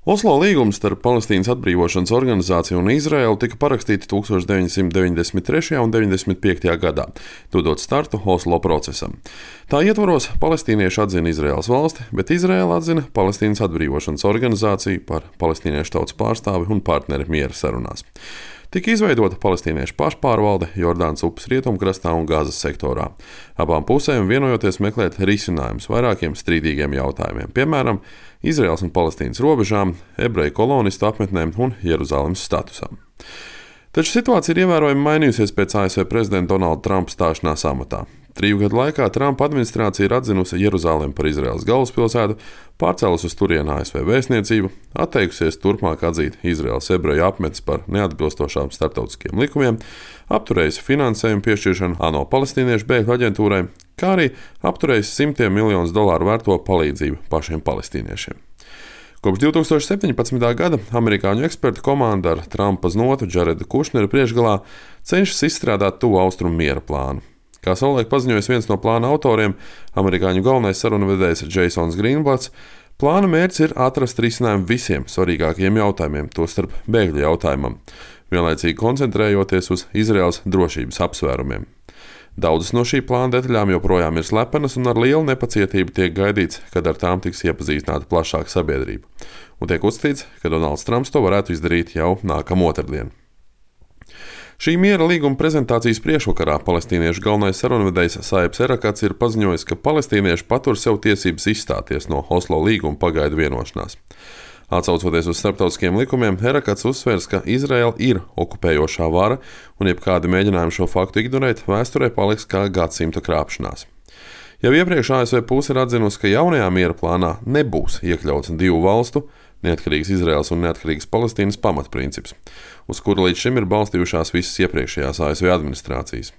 Oslo līgums starp Palestīnas atbrīvošanas organizāciju un Izraēlu tika parakstīts 1993. un 95. gadā, dodot startu Oslo procesam. Tā ietvaros palestīnieši atzina Izraēlas valsti, bet Izraēla atzina Palestīnas atbrīvošanas organizāciju par palestīniešu tautas pārstāvi un partneri miera sarunās. Tika izveidota palestīniešu pašpārvalde Jordānas upes rietumkrastā un Gazas sektorā. Abām pusēm vienojoties meklēt risinājumus vairākiem strīdīgiem jautājumiem, piemēram, Izraēlas un Palestīnas robežām, ebreju kolonistu apmetnēm un Jeruzalemes statusam. Taču situācija ir ievērojami mainījusies pēc ASV prezidenta Donalda Trumpa stāšanās amatā. 3 gadu laikā Trumpa administrācija ir atzinusi Jeruzalemi par Izraēlas galvaspilsētu, pārcēlusi uz turieni ASV vēstniecību, atteikusies turpmāk atzīt Izraēlas ebreju apmetnes par neatbilstošām starptautiskiem likumiem, apturējusi finansējumu piešķiršanu ANO palestīniešu bēgļu aģentūrai, kā arī apturējusi $100 miljonus vērto palīdzību pašiem palestīniešiem. Kopš 2017. gada amerikāņu ekspertu komanda ar Trumpa znotu Džaredu Kušnera priekšgalā cenšas izstrādāt tuvu austrumu miera plānu. Kā savulaik paziņojis viens no plāna autoriem, amerikāņu galvenais sarunvedējs Jasons Greenblatts, plāna mērķis ir atrast risinājumu visiem svarīgākajiem jautājumiem, tostarp bēgļu jautājumam, vienlaicīgi koncentrējoties uz Izraēlas drošības apsvērumiem. Daudzas no šī plāna detaļām joprojām ir slepenas un ar lielu nepacietību tiek gaidīts, kad ar tām tiks iepazīstināta plašāka sabiedrība. Un tiek uzskatīts, ka Donalds Trumps to varētu izdarīt jau nākamā otrdien. Šī miera līguma prezentācijas priekšvakarā palestīniešu galvenais sarunvedējs Saibs Erakats ir paziņojis, ka palestīnieši patur sev tiesības izstāties no Oslo līguma pagaidu vienošanās. Atsaucoties uz starptautiskiem likumiem, Erakats uzsvērs, ka Izraēla ir okupējošā vara un jebkādi mēģinājumi šo faktu ignorēt vēsturē paliks kā gadsimta krāpšanās. Jau iepriekš ASV puse ir atzinusi, ka jaunajā miera plānā nebūs iekļauts 2 valstu, neatkarīgas Izraēlas un neatkarīgas Palestīnas pamatprincips, uz kura līdz šim ir balstījušās visas iepriekšējās ASV administrācijas.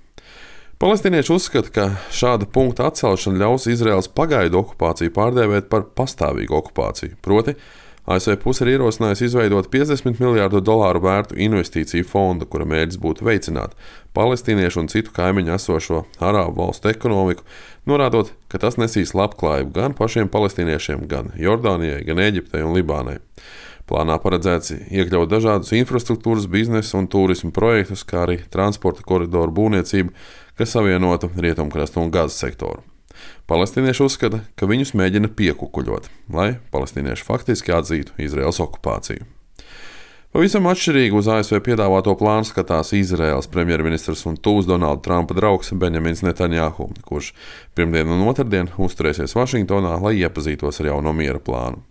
Palestīnieši uzskata, ka šāda punkta atcelšana ļaus Izraēlas pagaidu okupāciju pārdēvēt par pastāvīgu okupāciju, proti ASV puse ir ierosinājusi izveidot $50 miljārdu vērtu investīciju fondu, kura mērķis būtu veicināt palestīniešu un citu kaimiņu esošo arābu valstu ekonomiku, norādot, ka tas nesīs labklājību gan pašiem palestīniešiem, gan Jordānijai, gan Ēģiptei un Libānai. Plānā paredzēts iekļaut dažādus infrastruktūras, biznesa un turisma projektus, kā arī transporta koridoru būvniecību, kas savienotu Rietumkrastu un Gazas sektoru. Palestīnieši uzskata, ka viņus mēģina piekukuļot, lai palestīnieši faktiski atzītu Izraēlas okupāciju. Pavisam atšķirīgi uz ASV piedāvāto plānu skatās Izraēlas premjerministrs un tuvs Donalda Trumpa draugs Benjamins Netanjahu, kurš pirmdien un otrdien uzturēsies Vašingtonā, lai iepazītos ar jauno miera plānu.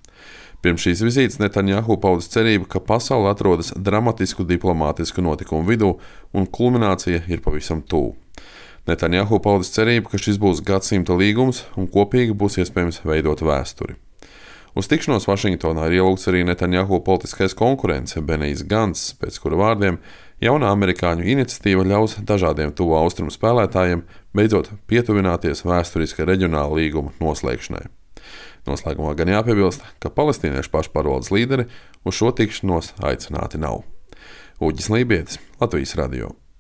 Pirms šīs vizītes Netanjahu paudis cerību, ka pasaule atrodas dramatisku diplomātisku notikumu vidū un kulminācija ir pavisam tuvu. Netanjahu paudis cerību, ka šis būs gadsimta līgums un kopīgi būs iespējams veidot vēsturi. Uz tikšanos Vašingtonā ir ielūgts arī Netanjahu politiskais konkurents Benijs Gants, pēc kura vārdiem jaunā amerikāņu iniciatīva ļaus dažādiem tuvo austrumu spēlētājiem beidzot pietuvināties vēsturiska reģionāla līguma noslēgšanai. Noslēgumā gan jāpiebilst, ka palestīniešu pašpārvaldes līderi uz šo tikšanos aicināti nav. Uģis Lībietis, Latvijas radio.